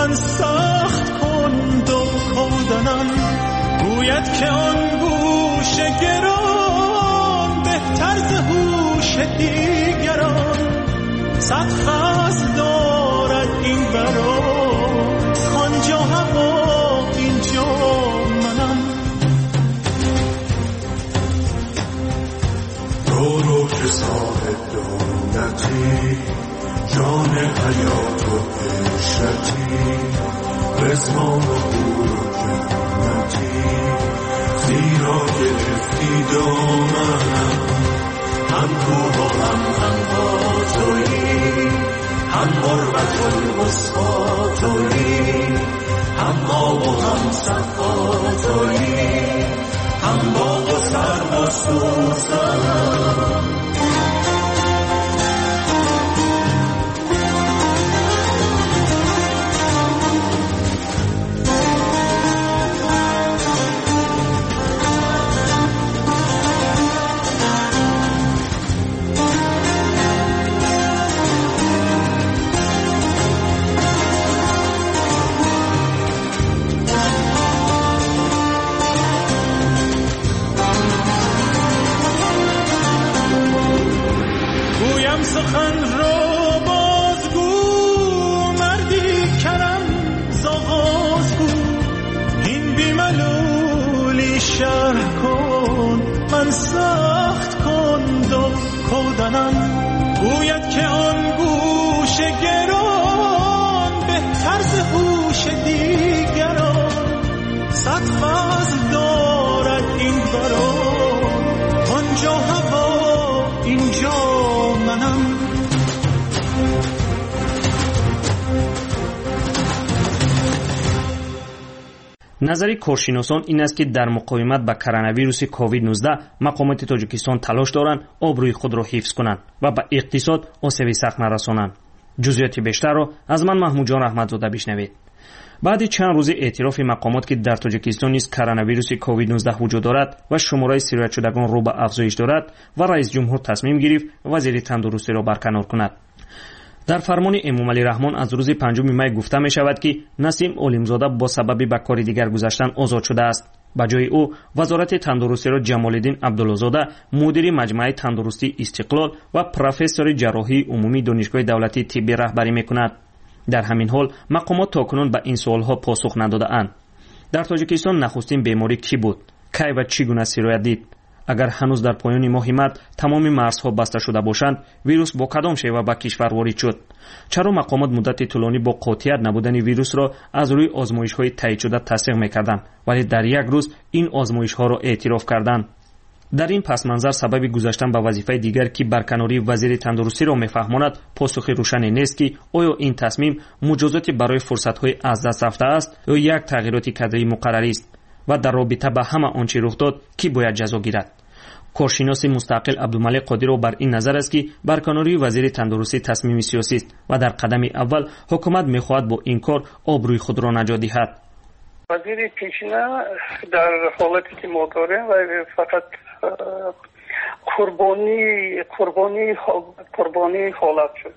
من سخت کند و کودنم. گوید که آن گوش گران بهتر ز هوش دیگران. صد فصل دارد این برا، آنجا هوا اینجا منم. رو رو که صاحب دولتی، جان حیات و عشرتی، رضوان و حور و جنتی، زیرا گرفتی دامنم. هم کوه و هم عنقا تویی، هم غربت الوسطی تویی، هم آب و هم صفا تویی، هم باغ و سرو و سوسنم. سخن را بازگو مردی کرم زآغاز گو. این بی ملولی شرح کن، من سخت کند و کودنم. گوید که آن گوش گران بهتر ز هوش دیگران. صد فضل دارد این برا، آنجا هوا اینجا منم. Назари коршиносон ин аст, ки дар муқовимат ба коронавируси COVID-19 мақомоти Тоҷикистон талош доранд обрӯи худро ҳифз кунанд ва ба иқтисод осеби сахт нарасонанд. Ҷузъиёти бештарро аз ман Маҳмудҷон Раҳматзода бишнавед. Баъди чанд рӯзи эътирофи мақомот, ки дар Тоҷикистон низ коронавируси COVID-19 вуҷуд дорад ва шумораи сироятшудагон рӯ ба афзоиш дорад, ва раисҷумҳур тасмим гирифт вазири тандурустиро барканор кунад. Дар фармони Эмомалӣ Раҳмон аз рӯзи 5 май гуфта мешавад, ки Насим Олимзода бо сабаби ба кори дигар гузаштан озод шудааст. Ба ҷои ӯ Вазорати тандурустиро Ҷамолиддин Абдуллозода, мудири маҷмӯаи тандурустии Истиқлол ва профессори ҷарроҳии умумии Донишгоҳи давлатии тиббӣ раҳбарӣ мекунад. Дар ҳамин ҳол мақомот то кунун ба ин суолҳо посух надодаанд. Дар Тоҷикистон нахустин беморӣ кӣ буд? Кай ва чӣ гуна сироят дид? Агар ҳанӯз дар поёни моҳи март тамоми марзҳо баста шуда бошанд, вирус бо кадом шева ба кишвар ворид шуд? Чаро мақомот муддати тӯлонӣ бо қотият набудани вирусро аз рӯи озмоишҳои таъйидшуда тасдиқ мекарданд, вале дар як рӯз ин озмоишҳоро эътироф карданд? Дар ин пасманзар сабаби гузаштан ба вазифаи дигар, ки барканории вазири тандурустиро мефаҳмонад, посухи рӯшане нест, ки оё ин тасмим муҷозоти барои фурсатҳои аз даст рафтааст ё як тағйироти кадрии муқаррарист ва дар робита ба ҳама он чӣ рух дод, кӣ бояд ҷазо гирад. Коршиноси мустақил Абдумалик Қодиров бар ин назар аст, ки барканории вазири тандурустӣ тасмими сиёсист ва дар қадами аввал ҳукумат мехоҳад бо ин кор обрӯи худро наҷот диҳад. Вазири пешина дар ҳолате ки мо дорем ва фақат қурбонии ҳолат шуд.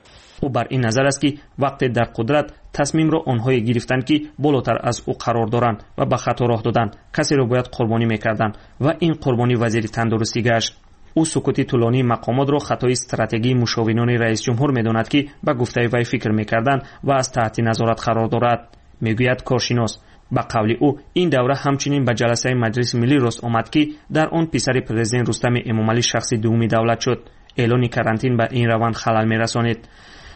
Ӯ бар ин назар аст, ки вақте дар қудрат тасмимро онҳое гирифтанд, ки болотар аз ӯ қарор доранд ва ба хато роҳ доданд, касеро бояд қурбонӣ мекарданд ва ин қурбонӣ вазири тандурустӣ гашт. Ӯ сукути тӯлонии мақомотро хатои стратегии мушовинони раисҷумҳур медонад, ки ба гуфтаи вай фикр мекарданд ва аз таҳти назорат қарор дорад, мегӯяд коршинос. Ба қавли ӯ ин давра ҳамчунин ба ҷаласаи Маҷлиси миллӣ рост омад, ки дар он писари президент Рустами Эмомалӣ шахси дуввуми давлат шуд. Эълони карантин ба ин раванд халал мерасонид.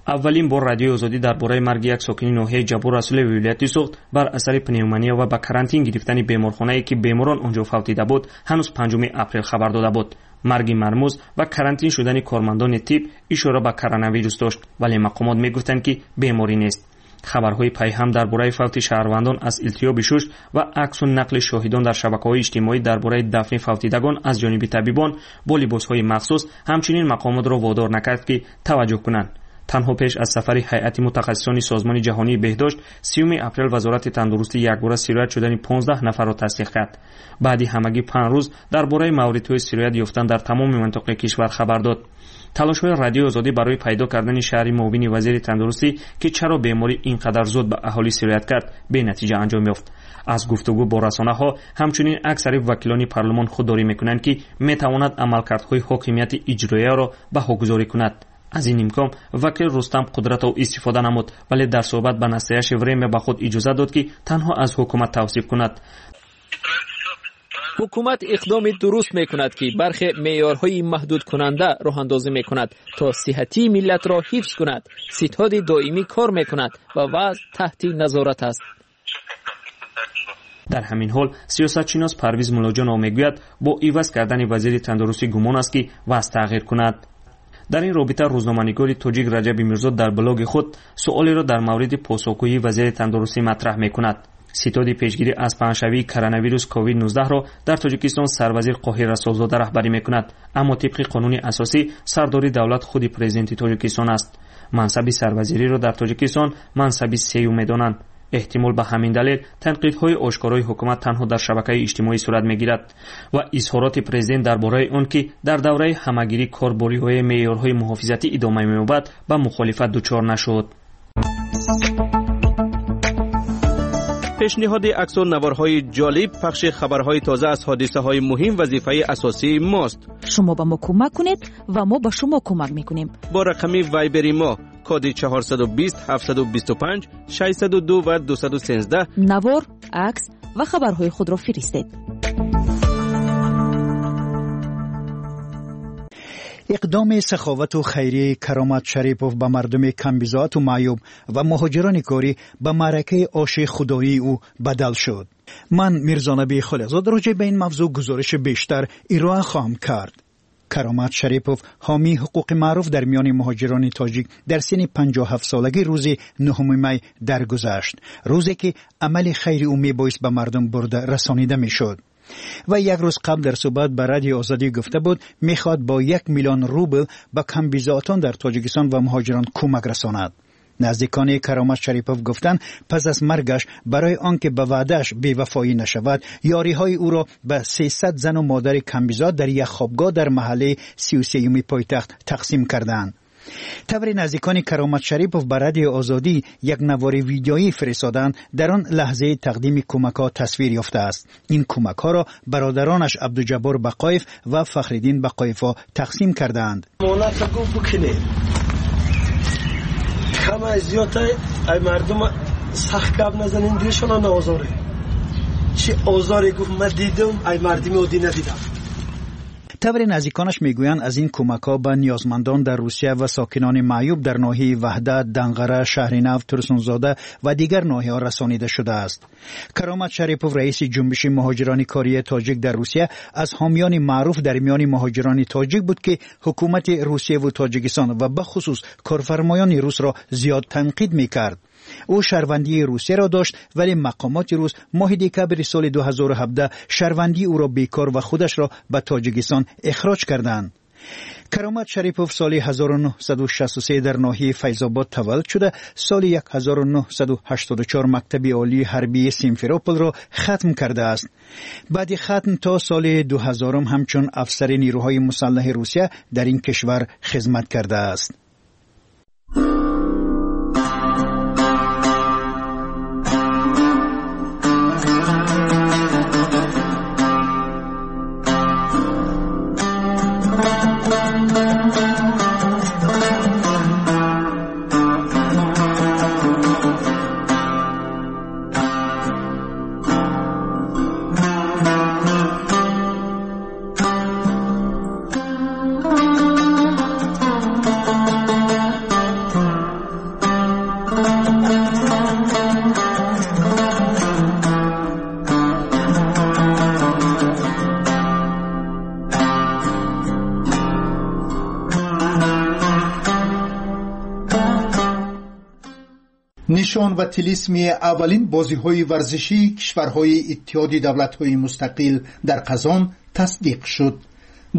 Аввалин бор Радиои Озодӣ дар бораи марги як сокини ноҳияи Ҷаббор Расулеви вилояти Суғд бар асари пневмония ва ба карантин гирифтани беморхонае, ки беморон онҷо фавтида буд, ҳанӯз 5 апрел хабар дода буд. Марги мармуз ва карантин шудани кормандони тиб ишора ба коронавирус дошт, вале мақомот мегуфтанд, ки беморӣ нест. Хабарҳои пайҳам дар бораи фавти шаҳрвандон аз илтиҳоби шуш ва аксу нақли шоҳидон дар шабакаҳои иҷтимоӣ дар бораи дафни фавтидагон аз ҷониби табибон бо либосҳои махсус ҳамчунин мақомотро водор накард, ки таваҷҷӯҳ кунанд. Танҳо пеш аз сафари ҳайати мутахассисони Созмони ҷаҳонии беҳдошт 30 апрел Вазорати тандурустӣ якбора сироят шудани 15 нафарро тасдиқ кард. Баъди ҳамагӣ 5 рӯз дар бораи мавридҳои сироят ёфтан дар тамоми минтақаи кишвар хабар дод. Талошҳои Радиои Озодӣ барои пайдо кардани шаҳри муовини вазири тандурустӣ, ки чаро беморӣ ин қадар зуд ба аҳолӣ сироят кард, бенатиҷа анҷом ёфт. Аз гуфтугӯ бо расонаҳо ҳамчунин аксари вакилони парлумон худдорӣ мекунанд, ки метавонад амалкардҳои ҳокимияти иҷроияро баҳогузорӣ кунад. Аз ин имкон вакил Рустам Қудратов истифода намуд, вале дар суҳбат ба Настоящее время ба худ иҷозат дод, ки танҳо аз ҳукумат тавсиф кунад. Ҳукумат иқдоми дуруст мекунад, ки бархе меъёрҳои маҳдудкунанда роҳандозӣ мекунад, то сиҳатии миллатро ҳифз кунад. Ситоди доимӣ кор мекунад ва вазъ таҳти назорат аст. Дар ҳамин ҳол сиёсатшинос Парвиз Муллоҷонов мегӯяд, бо иваз кардани вазири тандурустӣ гумон аст, ки вазъ тағйир кунад. Дар ин робита рӯзноманигори тоҷик Раҷаби Мирзо дар блоги худ суолеро дар мавриди посухгӯии вазири тандурустӣ матраҳ мекунад. Ситоди пешгирӣ аз паҳншавии коронавирус COVID-19-ро дар Тоҷикистон сарвазир Қоҳир Расулзода раҳбарӣ мекунад, аммо тибқи қонуни асосӣ сардори давлат худи президенти Тоҷикистон аст. Мансаби сарвазириро дар Тоҷикистон мансаби сеюм медонанд. Эҳтимол ба ҳамин далел танқидҳои ошкорои ҳукумат танҳо дар шабакаи иҷтимоӣ сурат мегирад ва изҳороти президент дар бораи он, ки дар давраи ҳамагирӣ кор бо риояи меъёрҳои муҳофизатӣ идома меёбад, ба мухолифат дучор нашуд. Пешниҳоди аксу наворҳои ҷолиб, пахши хабарҳои тоза аз ҳодисаҳои муҳим вазифаи асосии мост. Шумо ба мо кӯмак кунед ва мо ба шумо кӯмак мекунем. Бо рақами Вайбери мо коди 420 725 602 ва 213 навор, акс ва хабарҳои худро фиристед. Иқдоми саховату хайрияи Каромат Шарипов ба мардуми камбизоату маъюб ва муҳоҷирони корӣ ба маъракаи оши худоии ӯ бадал шуд. Ман Мирзонаби Холиқзод роҷеъ ба ин мавзӯъ гузориши бештар ироа хоҳам кард. Каромат Шарипов, ҳомии ҳуқуқи маъруф дар миёни муҳоҷирони тоҷик, дар синни 57-солагӣ рӯзи 9 май даргузашт, рӯзе ки амали хайри ӯ мебоист ба мардум бурда расонида мешуд. Ва як рӯз қабл дар суҳбат ба Радиои Озодӣ гуфта буд, мехоҳад бо 1 миллион рубл ба камбизоатон дар Тоҷикистон ва муҳоҷирон кӯмак расонад. Наздикони Каромат Шарипов гуфтанд, пас аз маргаш барои он ки ба ваъдааш бевафоӣ нашавад, ёриҳои ӯро ба 300 зану модари камбизоат дар як хобгоҳ дар маҳаллаи 33-юми пойтахт тақсим карданд. Тавре наздикони Каромат Шарипов ба Радиои Озодӣ як навори видеоӣ фиристоданд, дар он лаҳзаи тақдими кӯмакҳо тасвир ёфтааст. Ин кӯмакҳоро бародаронаш Абдуҷаббор Бақоев ва Фахриддин Бақоевҳо тақсим кардаанд. Кама зиёда ай мардум сахт гап назанин, дилшона наозоре. Чи озоре гуфт ман дидам, ай мардуми оддӣ надидам. Тавре наздиконаш мегӯянд, аз ин кӯмакҳо ба ниёзмандон дар Русия ва сокинони маъюб дар ноҳияи Ваҳдат, Данғара, Шаҳри Нав, Турсунзода ва дигар ноҳияҳо расонида шудааст. Каромат Шарипов, раиси ҷунбиши муҳоҷирони кории тоҷик дар Русия, аз ҳомиёни маъруф дар миёни муҳоҷирони тоҷик буд, ки ҳукумати Русияву Тоҷикистон ва бахусус корфармоёни русро зиёд танқид мекард. Ӯ шаҳрвандии Русияро дошт, вале мақомоти рус моҳи декабри соли 2017 шаҳрвандии ӯро бекор ва худашро ба Тоҷикистон ихроҷ карданд. Каромат Шарипов соли 1963 дар ноҳияи Файзобод таваллуд шуда, соли 1984 мактаби олии ҳарбии Симферополро хатм кардааст. Баъди хатм то соли 2000 ҳамчун афсари нерӯҳои мусаллаҳи Русия дар ин кишвар хизмат кардааст. Нишон ва тилисми аввалин бозиҳои варзишии кишварҳои Иттиҳоди давлатҳои мустақил дар Қазон тасдиқ шуд.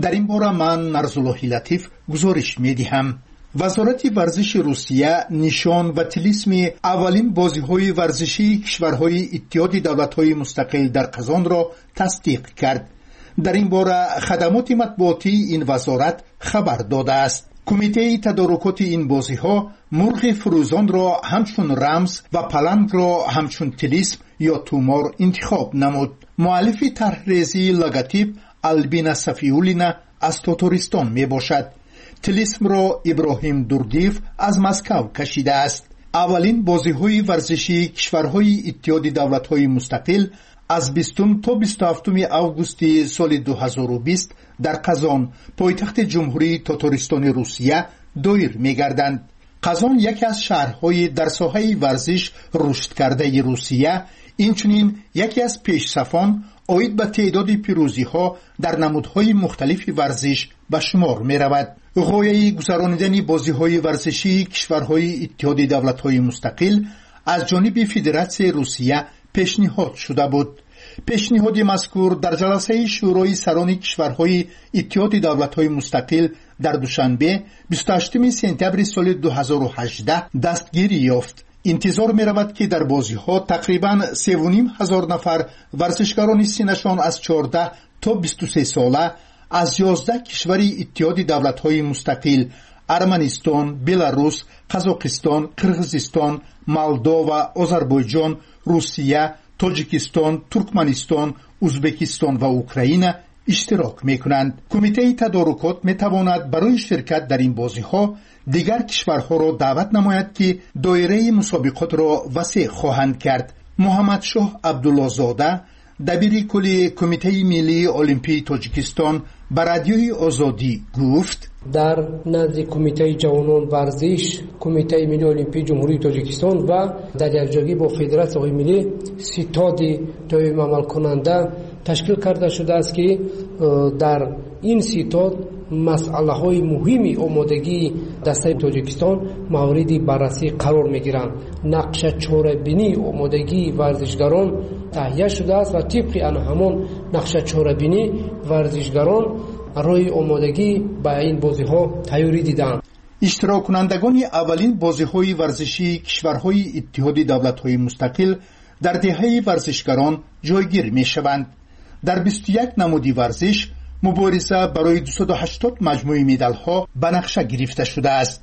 Дар ин бора ман Нарзуллоҳи Латиф гузориш медиҳам. Вазорати варзиши Русия нишон ва тилисми аввалин бозиҳои варзишии кишварҳои Иттиҳоди давлатҳои мустақил дар Қазонро тасдиқ кард. Дар ин бора хадамоти матбуотии ин вазорат хабар додааст. Кумитаи тадорукоти ин бозиҳо мурғи фурӯзонро ҳамчун рамз ва палангро ҳамчун тилисм ё тумор интихоб намуд. Муаллифи тарҳрезии логотип Албина Сафиуллина аз Тотористон мебошад. Тилисмро Иброҳим Дурдиев аз Москав кашидааст. Аввалин бозиҳои варзишии кишварҳои Иттиҳоди давлатҳои мустақил аз 20 то 27 августи соли 2020 дар Қазон, пойтахти Ҷумҳурии Тотористони Русия, доир мегарданд. Қазон яке аз шаҳрҳои дар соҳаи варзиш рушдкардаи Русия, инчунин яке аз пешсафон оид ба теъдоди пирӯзиҳо дар намудҳои мухталифи варзиш ба шумор меравад. Ғояи гузаронидани бозиҳои варзишии кишварҳои Иттиҳоди давлатҳои мустақил аз ҷониби Федератсияи Русия пешниҳод шуда буд. Пешниҳоди мазкур дар ҷаласаи Шӯрои сарони кишварҳои Иттиҳоди давлатҳои мустақил дар Душанбе 28 сентябри соли 2018 дастгирӣ ёфт. Интизор меравад, ки дар бозиҳо тақрибан 3,5 ҳазор нафар варзишгарони синнашон аз 14 то 23 сола аз 11 кишвари Иттиҳоди давлатҳои мустақил Арманистон, Беларус, Қазоқистон, Қирғизистон, Молдова, Озарбойҷон, Русия, Тоҷикистон, Туркманистон, Узбекистон ва Украина иштирок мекунанд. Кумитаи тадорукот метавонад барои ширкат дар ин бозиҳо дигар кишварҳоро даъват намояд, ки доираи мусобиқотро васеъ хоҳанд кард. Муҳаммадшоҳ Абдуллозода, дабири кулли Кумитаи миллии олимпии Тоҷикистон, ба Радиои Озодӣ гуфт: Дар назди Кумитаи ҷавонон, варзиш, Кумитаи миллии олимпии Ҷумҳурии Тоҷикистон ва дар якҷоягӣ бо федератсияҳои миллӣ ситоди доимиамалкунанда ташкил карда шудааст, ки дар ин ситод масъалаҳои муҳими омодагии дастаи Тоҷикистон мавриди баррасӣ қарор мегиранд. Нақша чорабинии омодагии варзишгарон таҳия шудааст ва тибқи ана ҳамон нақша чорабинӣ варзишгарон роҳи омодагӣ ба ин бозиҳо тайёрӣ диданд. Иштироккунандагони аввалин бозиҳои варзишии кишварҳои Иттиҳоди давлатҳои мустақил дар деҳаи варзишгарон ҷойгир мешаванд. Дар 21 намуди варзиш мубориза барои 280 маҷмӯи медалҳо ба нақша гирифта шудааст.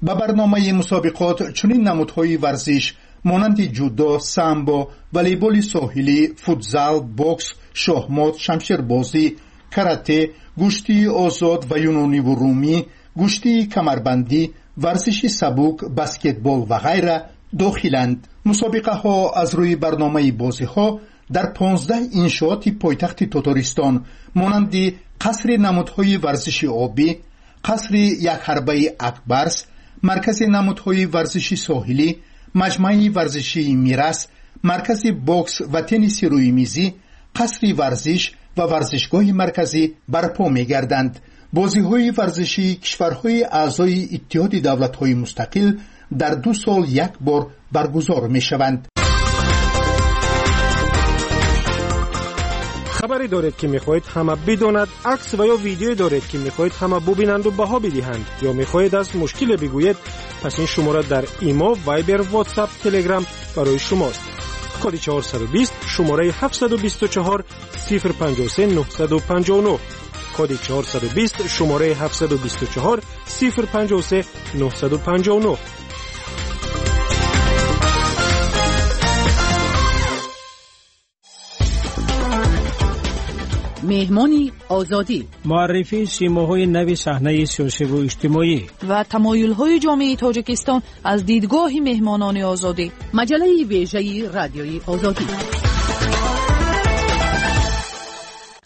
Ба барномаи мусобиқот чунин намудҳои варзиш монанди ҷудо, самбо, волейболи соҳилӣ, футзал, бокс, шоҳмот, шамшербозӣ, карате, гӯштии озод ва юнониву румӣ, гӯштии камарбандӣ, варзиши сабук, баскетбол ва ғайра дохиланд. Мусобиқаҳо аз рӯи барномаи бозиҳо дар 15 иншооти пойтахти Тотористон монанди қасри намудҳои варзиши обӣ, қасри якҳарбаи Акбарс, маркази намудҳои варзиши соҳилӣ, маҷмӯаи варзишии Мирас, маркази бокс ва тенниси рӯймизӣ, қасри варзиш ва варзишгоҳи марказӣ барпо мегарданд. Бозиҳои варзишии кишварҳои аъзои Иттиҳоди давлатҳои мустақил дар 2 сол як бор баргузор мешаванд. Хабаре доред, ки мехоҳед ҳама бидонад, акс ва ё видеое доред, ки мехоҳед ҳама бубинанду баҳо бидиҳанд, ё мехоҳед аз мушкиле бигӯед, пас ин шумора дар Имо, Вайбер, Ватсап, Телеграм барои шумост. Коди 420, шумораи 724 053 959. Коди 420, шумораи 724 053 959. Меҳмони Озодӣ. Муаррифии симоҳои нави саҳнаи сиёсиву иҷтимоӣ ва тамоюлҳои ҷомеаи Тоҷикистон аз дидгоҳи меҳмонони Озодӣ. Маҷаллаи вежаи Радиои Озодӣ.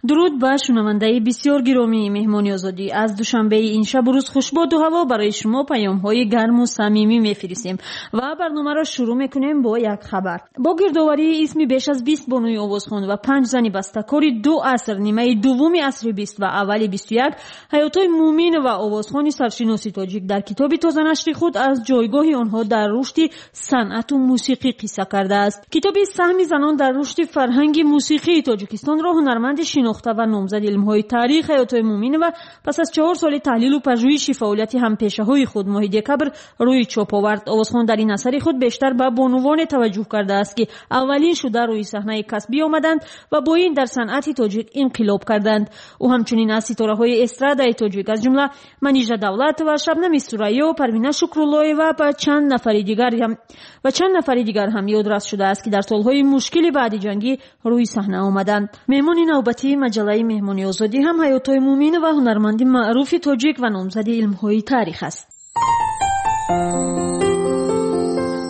Дуруд ба шунавандаи бисёр гиромии Меҳмони Озодӣ. Аз Душанбеи ин шабу рӯз хушбоду ҳаво барои шумо паёмҳои гарму самимӣ мефиристем ва барномаро шурӯъ мекунем бо як хабар. Бо гирдоварии исми беш аз 20 бонуи овозхон ва панҷ зани бастакори ду аср, нимаи дуввуми асри бист ва аввали 21, Ҳаётои Муъминова, овозхони саршиноси тоҷик, дар китоби тозанашри худ аз ҷойгоҳи онҳо дар рушди санъату мусиқӣ қисса кардааст. Китоби «Саҳми занон дар рушди фарҳанги мусиқии Тоҷикистонро» ҳунарманди шинохта шинохта ва номзади илмҳои таърих Ҳаётои Муъминова пас аз 4 соли таҳлилу пажӯҳиши фаъолияти ҳампешаҳои худ моҳи декабр рӯи чоп овард. Овозхон дар ин асари худ бештар ба бонувоне таваҷҷӯҳ кардааст, ки аввалин шуда рӯи саҳнаи касбӣ омаданд ва бо ин дар санъати тоҷик инқилоб карданд. Ӯ ҳамчунин аз ситораҳои эстрадаи тоҷик, аз ҷумла Манижа Давлатова, Шабнами Сурайё, Парвина Шукруллоева ва чанд нафари дигар ҳам ёдрас шудааст, ки дар солҳои мушкили баъди ҷангӣ рӯи саҳна омаданд. Меҳмони навбатии маҷаллаи Меҳмони Озодӣ ҳам Ҳаётои Муъминова, ҳунарманди маъруфи тоҷик ва номзади илмҳои таърих аст.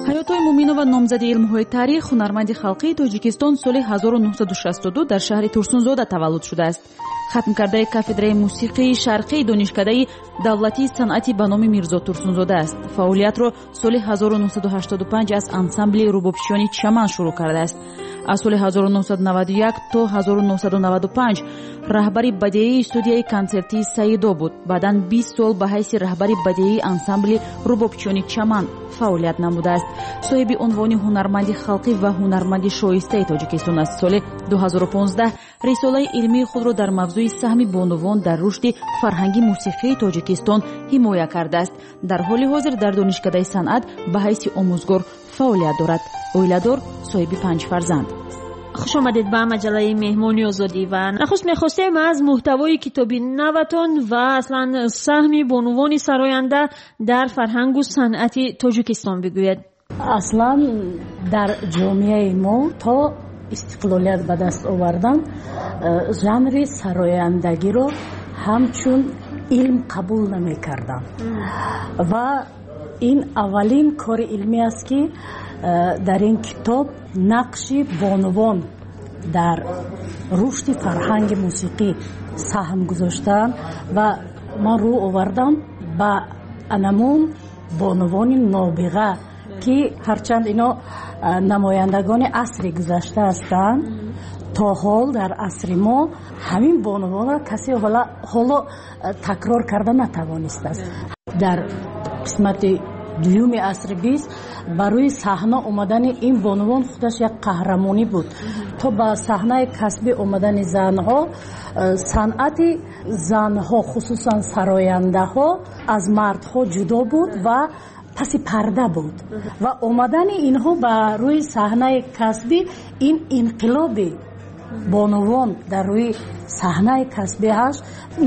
Ҳаётои Муъминова, номзади илмҳои таърих, ҳунарманди халқии Тоҷикистон, соли 1962 дар шаҳри Турсунзода таваллуд шудааст. Хатмкардаи кафедраи мусиқии шарқии Донишкадаи давлатии санъати ба номи Мирзо Турсунзода аст. Фаъолиятро соли 1985 аз ансамбли рубобчиёни Чаман шурӯъ кардааст. Аз соли 1991 то 1995 раҳбари бадеии студияи консертии Саидо буд. Баъдан 20 сол ба ҳайси раҳбари бадеии ансамбли рубобчиёни Чаман фаъолият намудааст. Соҳиби унвони ҳунарманди халқӣ ва ҳунарманди шоистаи Тоҷикистон аст. Соли 2015 рисолаи илмии худро дар мавзӯи саҳми бонувон дар рушди фарҳанги мусиқии Тоҷикистон ҳимоя кардааст. Дар ҳоли ҳозир дар Донишкадаи санъат ба ҳайси омӯзгор фаъолият дорад. Оиладор, соҳиби 5 фарзанд. Хуш омадед ба маҷаллаи Меҳмони Озодӣ ва нахуст мехостем аз муҳтавои китоби наватон ва аслан саҳми бонувони сароянда дар фарҳангу санъати Тоҷикистон бигӯед. Аслан дар ҷомеаи мо то истиқлолият ба даст овардан жанри сарояндагиро ҳамчун илм қабул намекарданд ва ин аввалин кори илмӣ аст, ки дар ин китоб нақши бонувон дар рушди фарҳанги мусиқӣ саҳм гузоштаанд ва ман рӯ овардам ба анамун бонувони нобиға, ки ҳарчанд ино намояндагони асри гузашта ҳастанд, то ҳол дар асри мо ҳамин бонувонро касе ҳоло такрор карда натавонистааст. Дар қисмати дуюми асри 20 барои саҳна омадани ин бонувон худаш як қаҳрамонӣ буд. То ба саҳнаи касбӣ омадани занҳо, санъати занҳо, хусусан сарояндаҳо, аз мардҳо ҷудо буд ва паси парда буд ва омадани инҳо ба рӯи саҳнаи касбӣ ин инқилоби бонувон дар рӯи саҳнаи касбӣ ҳаст.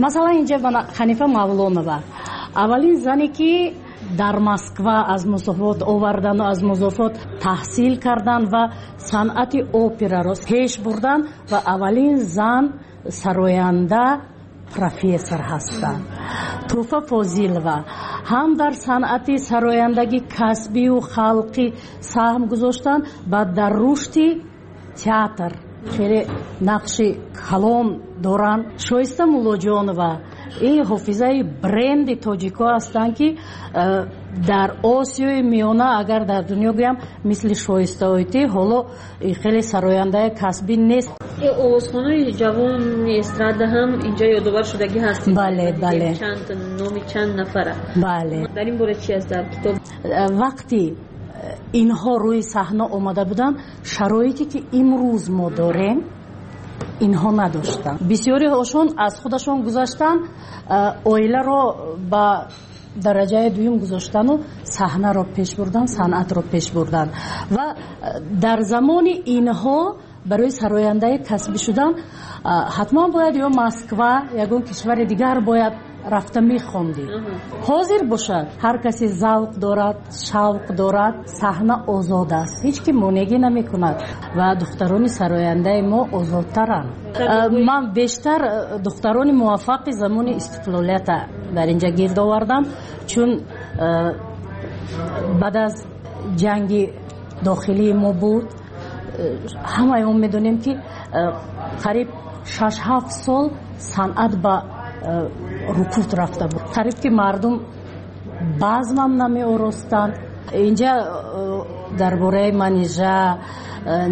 Масалан, инҷа Ҳанифа Мавлонова, аввалин зане ки дар Москва аз музофот овардану аз музофот таҳсил кардан ва санъати операро пеш бурдан ва аввалин зан сароянда профессор ҳастанд. Туҳфа Фозилова ҳам дар санъати сарояндагӣ касбию халқӣ саҳм гузоштанд ва дар рушди театр хеле нақши калон доранд. Шоиста Муллоҷонова ин ҳофизаи бренди тоҷико ҳастанд, ки дар Осиёи Миёна, агар дар дунё гӯям, мисли Шоиста Ойтӣ ҳоло хеле сарояндаи касбӣ нест. Овозхонаи ҷавони эстрада ҳам инҷа ёдовар шудагӣ ҳастед. Бале, бале. Чанд номи чанд нафара. Бале. Дар ин бора чи аст дар китоб? Вақти инҳо рӯи саҳна омада буданд, шароите ки имрӯз мо дорем, инҳо надоштанд. Бисёриҳошон аз худашон гузаштанд, оиларо ба дараҷаи дуюм гузоштану саҳнаро пеш бурдан, санъатро пеш бурдан. Ва дар замони инҳо барои сарояндаи касбӣ шудан ҳатман бояд ё Москва, ягон кишвари дигар бояд рафта мехондӣ. Ҳозир бошад, ҳар касе завқ дорад, шавқ дорад, саҳна озод аст, ҳеҷ ки монеъгӣ намекунад ва духтарони сарояндаи мо озодтаранд. Ман бештар духтарони муваффақи замони истиқлолията дар инҷа гирд овардам, чун баъд аз ҷанги дохилии мо буд, ҳамаи мо медонем, ки қариб 6-7 сол санъат ба рукуд рафта буд. Қариб ки мардум базмам намеоростанд. Инҷа дар бораи Манижа,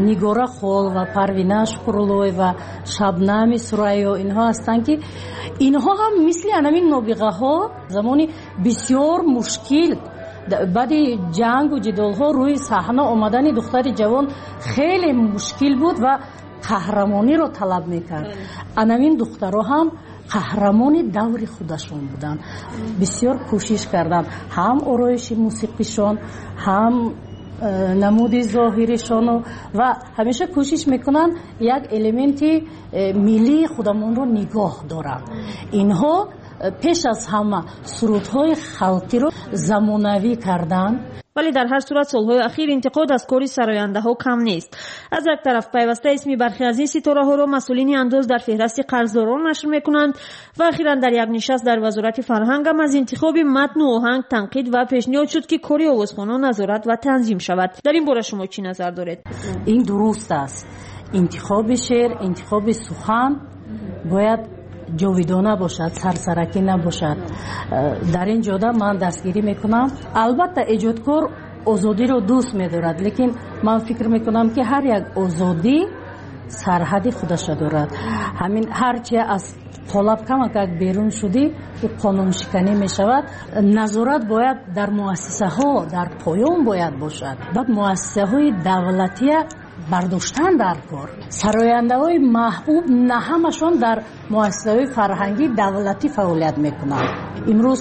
Нигора Холова, Парвина Шукруллоева, Шабнами Сурайё инҳо ҳастанд, ки инҳо ҳам мисли анамин нобиғаҳо замони бисёр мушкил баъди ҷангу ҷидолҳо рӯи саҳна омадани духтари ҷавон хеле мушкил буд ва Қаҳрамониро талаб мекард. Анамин духтаро ҳам қаҳрамони даври худашон буданд. Бисёр кӯшиш карданд, ҳам ороиши мусиқишон, ҳам намуди зоҳиришону, ва ҳамеша кӯшиш мекунанд як элементи миллии худамонро нигоҳ доранд. Инҳо пеш аз ҳама сурудҳои халқиро замонавӣ карданд. Вале дар ҳар сурат солҳои ахир интиқод аз кори сарояндаҳо кам нест. Аз як тараф, пайваста исми бархе аз ин ситораҳоро масъулини андоз дар феҳрасти қарздорон нашр мекунанд ва ахиран дар як нишаст дар Вазорати фарҳангам аз интихоби матну оҳанг танқид ва пешниҳод шуд, ки кори овозхонон назорат ва танзим шавад. Дар ин бора шумо чӣ назар доред? Ин дуруст аст. Интихоби шеър, интихоби сухан бояд ҷовидона бошад, сарсаракӣ набошад. Дар ин ҷода ман дастгирӣ мекунам. Албатта, эҷодкор озодиро дӯст медорад, лекин ман фикр мекунам, ки ҳар як озодӣ сарҳади худаша дорад. Ҳамин ҳарчи аз қолаб камакак берун шудӣ, ӯ қонуншиканӣ мешавад. Назорат бояд дар муассисаҳо, дар поён бояд бошад. Баъд муассисаҳои давлатия бардоштан дар кор. Сарояндаҳои маҳбуб на ҳамашон дар муассисаҳои фарҳангии давлатӣ фаъолият мекунанд. Имрӯз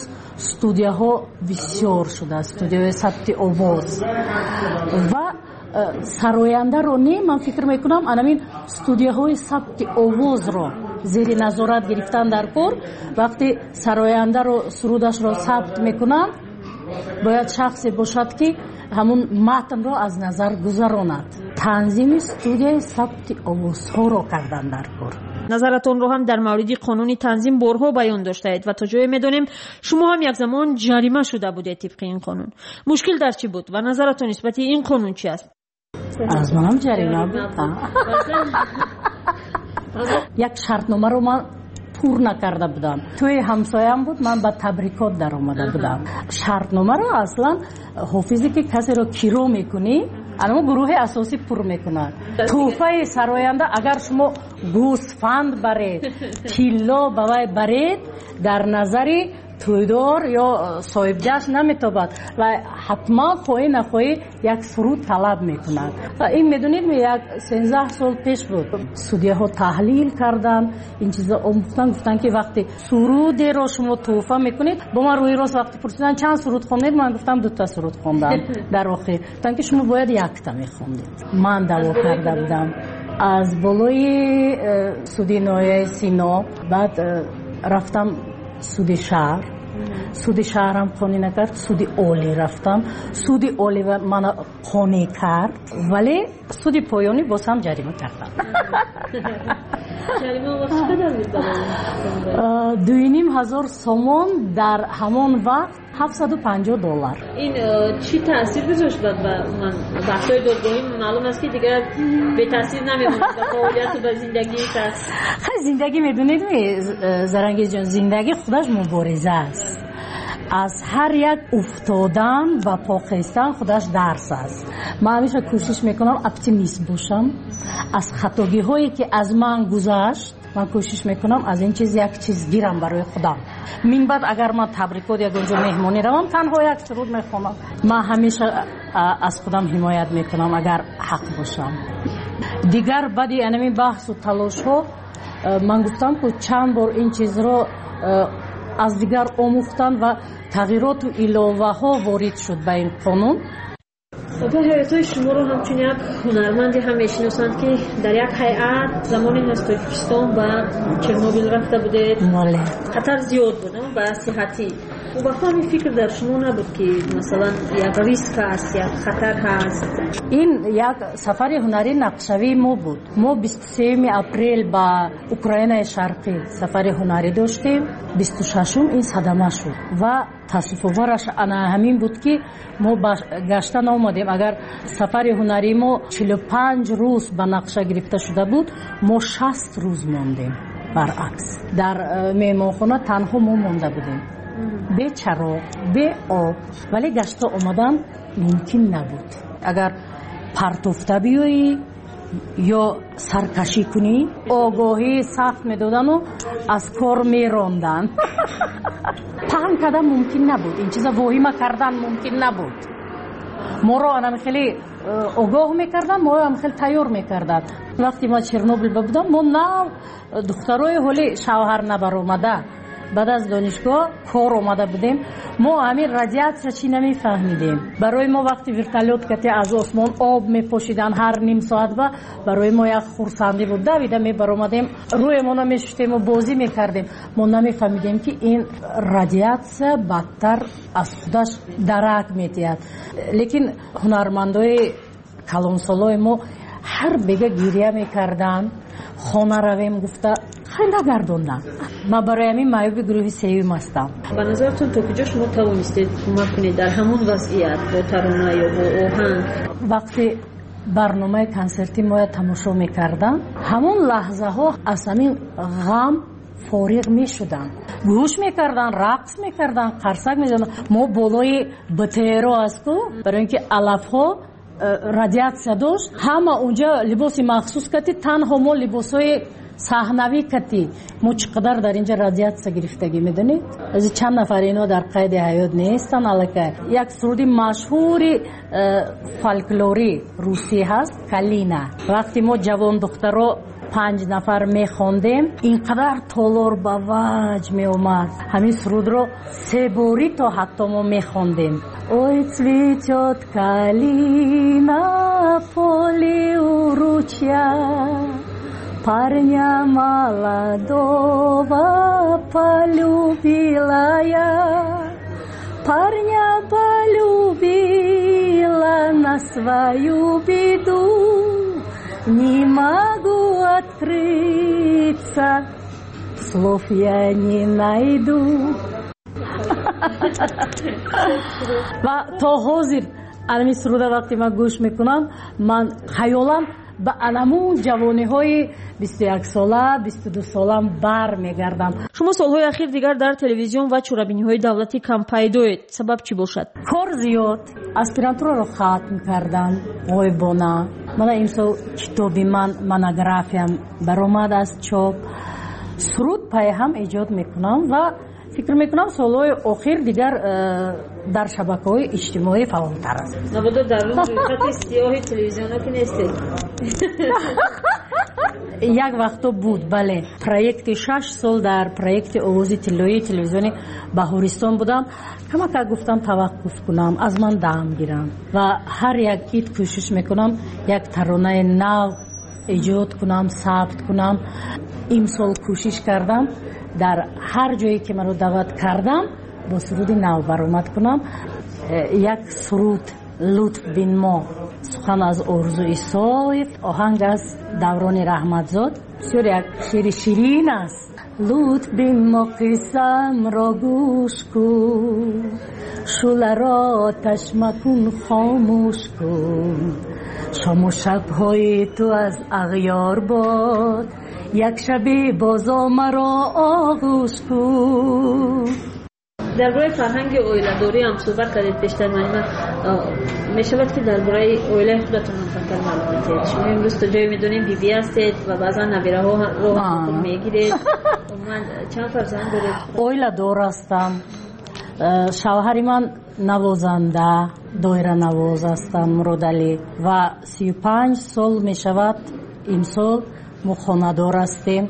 студияҳо бисёр шудааст, студияҳои сабти овоз, ва сарояндаро не, ман фикр мекунам, анамин студияҳои сабти овозро зери назорат гирифтан дар кор. Вақте сарояндаро сурудашро сабт мекунанд, бояд шахсе бошад, ки ҳамун матнро аз назар гузаронад. Танзими студияи сабти овозҳоро кардан дар кор. Назаратонро ҳам дар мавриди қонуни танзим борҳо баён доштаед ва то ҷое медонем, шумо ҳам як замон ҷарима шуда будед тибқи ин қонун. Мушкил дар чӣ буд ва назаратон нисбати ин қонун чи аст? Аз манам ҷарима буд. Як шартномаро ман пур накарда будам. Тӯи ҳамсоям буд, ман ба табрикот даромада будам. Шартномаро аслан ҳофизе, ки касеро киро мекунӣ, анамо гурӯҳи асосӣ пур мекунад. Тӯҳфаи сароянда, агар шумо гӯсфанд баред, тилло ба вай баред, дар назари тӯйдор ё соҳибҷашн наметобад ва ҳатман хоҳӣ нахоҳӣ як суруд талаб мекунад. Ин, медонед, як 13 сол пеш буд. Судяҳо таҳлил карданд, ин чизо омӯхтан, гуфтанд, ки вақте сурудеро шумо тӯҳфа мекунед, бо ман рӯи рост вақте пурсиданд, чанд суруд хондед, ман гуфтам, дута суруд хондам. Дар охир гуфтанд, ки шумо бояд якта мехондед. Ман даъво карда будам аз болои суди ноҳияи Сино, баъд рафтам суди шаҳр, суди шаҳрам қонеъ накард, суди олӣ рафтам, суди олӣ мана қонеъ кард, вале суди поёнӣ боз ҳам ҷарима кардам. 2500 сомон, дар ҳамон вақт 750 доллар. Ин чӣ таъсир гузошт ба ман? Баҳсҳои додгоҳӣ маълум аст, ки дигар бетаъсир намемонад ба фаъолияту ба зиндагии кас. Хай, зиндагӣ, медонед, Зарангезҷон, зиндагӣ худаш мубориза аст. Аз ҳар як уфтодан ва по хестан худаш дарс аст. Ман ҳамеша кӯшиш мекунам оптимист бошам. Аз хатогиҳое, ки аз ман гузашт, ман кӯшиш мекунам аз ин чиз як чиз гирам барои худам. Минбаъд агар ман табрикот, ягон ҷо меҳмонӣ равам, танҳо як суруд мехонам. Ман ҳамеша аз худам ҳимоят мекунам, агар ҳақ бошам. Дигар баъди анамин баҳсу талошҳо, ман гуфтам, ку чанд бор ин чизро аз дигар омӯхтан ва тағйироту иловаҳо ворид шуд ба ин қонун. Опа, ҳаётҳои шуморо ҳамчун як ҳунарманде ҳам мешиносанд, ки дар як ҳайат замоне аз Тоҷикистон ба Чернобил рафта будед. Хатар зиёд буд ба сиҳатӣ. Вақто ҳамин фикр дар шумо набуд, ки масалан як риск ҳаст, як хатар ҳаст? Ин як сафари ҳунарии нақшавии мо буд. Мо 23-уми апрел ба Украинаи Шарқӣ сафари ҳунарӣ доштем, 26-ум ин садама шуд ва таассуфовараш ана ҳамин буд, ки мо ба гашта наомадем. Агар сафари ҳунарии мо 45 рӯз ба нақша гирифта шуда буд, мо 60 рӯз мондем. Баръакс, дар меҳмонхона танҳо мо монда будем, бе чароғ, бе об, вале гашта омадан мумкин набуд. Агар партофта биёӣ ё саркашӣ кунӣ, огоҳии сахт медодану аз кор меронданд. Паҳн кардан мумкин набуд, ин чиза воҳима кардан мумкин набуд. Моро анам хеле огоҳ мекарданд, моро ҳам хеле тайёр мекарданд. Вақте ма Чернобил будам, мо нав духтарои ҳоли шавҳар набаромада, баъд аз донишгоҳ кор омада будем. Мо ҳамин радиатсия чӣ намефаҳмидем. Барои мо вақти вертолёт кати аз осмон об мепошиданд ҳар ним соат, ба барои мо як хурсандӣ буд. Давида мебаромадем, рӯемонро мешуштему бозӣ мекардем. Мо намефаҳмидем, ки ин радиатсия бадтар аз худаш дарак медиҳад. Лекин ҳунармандои калонсолои мо ҳар бега гиря мекарданд, хона равем гуфта хай нагардонданд. Ман барои ҳамин маъюби гурӯҳи сеюм ҳастам. Ба назаратон то куҷо шумо тавонистед кӯмак кунед дар ҳамон вазъият бо тарона ё бо оҳанг? Вақте барномаи консерти моя тамошо мекардам, ҳамон лаҳзаҳо аз ҳамин ғам фориғ мешуданд, гӯш мекарданд, рақс мекарданд, қарсак мезаданд. Мо болои БТРо асту, барои ин ки алафҳо радиатсия дошт, ҳама унҷа либоси махсус кати, танҳо мо либосҳои саҳнавӣ кати. Мо чӣ қадар дар инҷа радиатсия гирифтагӣ медонед? Аз чанд нафар ино дар қайди ҳаёт нестанд аллакай. Як суруди машҳури фольклори русӣ ҳаст, «Калина». Вақте мо ҷавон духтаро 5 нафар мехондем, ин қадар толор ба ваҷ меомад. Ҳамин сурудро се борӣ то ҳатто мо мехондем. Ой, цветет калина в поле у ручья, парня молодого полюбила я, парня полюбила на свою беду, не могу открыться, слов я не найду. Ва то ҳозир анами суруда вақте ман гӯш мекунам, ман хаёлам ба анамун ҷавониҳои 21сола, 22солам бар мегардам. Шумо солҳои ахир дигар дар телевизион ва чорабиниҳои давлатӣ кам пайдоед. Сабаб чӣ бошад? Кор зиёд. Аспирантураро хатм кардам ғоибона. Мана имсол китоби ман, монографиям баромад аз чоп. Суруд пайҳам эҷод мекунам ва фикр мекунам солҳои охир дигар дар шабакаҳои иҷтимоӣ фаъолтар аст. Набудо дар рӯйхати сиёҳи телевизионо ки нестед? Як вақто буд, бале. Проекти 6 сол дар проекти овози тиллоии телевизиони Баҳористон будам. Камакак гуфтам таваққуф кунам, аз ман дам гирам ва ҳар як ид кӯшиш мекунам як таронаи нав эҷод кунам, сабт кунам. Имсол кӯшиш кардам дар ҳар ҷое ки маро даъват кардам бо суруди нав баромад кунам. Як суруд «Лутф бин мо», сухан аз Орзу Исоев, оҳанг аз Даврони Раҳматзод. Бисёр як шеъри ширин аст. Лутф бин мо, қиссамро гӯш кун, шӯларо оташ макун, хомӯш кун. Шому шабҳои ту аз ағёр бод, як шаби бозо маро оғӯш кун. Дар бораи фарҳанги оиладорӣ ҳам суҳбат кардед пештар. Манима, мешавад ки дар бораи оилаи худатон ҳам камтар маълум медиҳед? Шумо имрӯз то ҷое медонем бибӣ ҳастед ва баъзан набираҳоро мегиред. Умуман чанд фарзанд доред? Оиладор ҳастам. Шавҳари ман навозанда, доиранавоз ҳастам, Муродалӣ, ва 35 сол мешавад имсол мо хонадор ҳастем.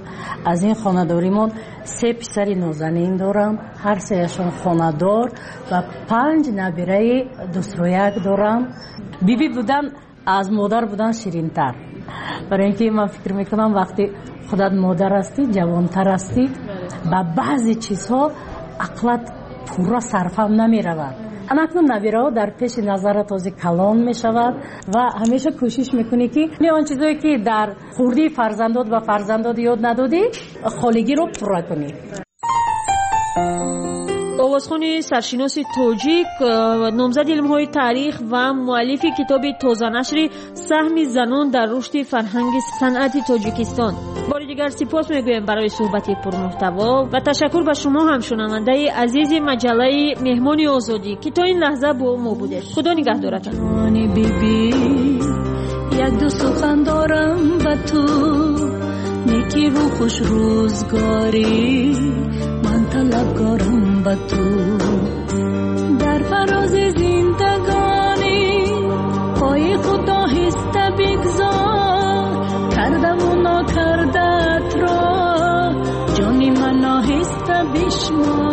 Аз ин хонадоримон 3 писари нозанин дорам, ҳар сеяшон хонадор, ва 5 набираи дусрояк дорам. Бибӣ будан аз модар будан ширинтар, барои ин ки ман фикр мекунам вақте худат модар ҳастӣ, ҷавонтар ҳастӣ, ба баъзе чизҳо ақлат пурра сарфам намеравад. Анакнун набираҳо дар пеши назарат ҳозир калон мешавад ва ҳамеша кӯшиш мекунӣ ки он чизое ки дар хурдии фарзандот ба фарзандот ёд надодӣ, холигиро пурра кунӣ. Овозхони саршиноси тоҷик, номзади илмҳои таърих ва муаллифи китоби тозанашри «Саҳми занон дар рушди фарҳанги санъати Тоҷикистон». Бори дигар сипос мегӯем барои суҳбати пурмуҳтаво ва ташаккур ба шумо ҳам, шунавандаи азизи маҷаллаи «Меҳмони озодӣ», ки то ин лаҳза бо мо будед. Худо нигаҳдоратон. Як ду сухан дорам ба ту, некиву хушрӯзгорӣ ман талабгорам ба ту. Дар фарози зиндагонӣ چشمات.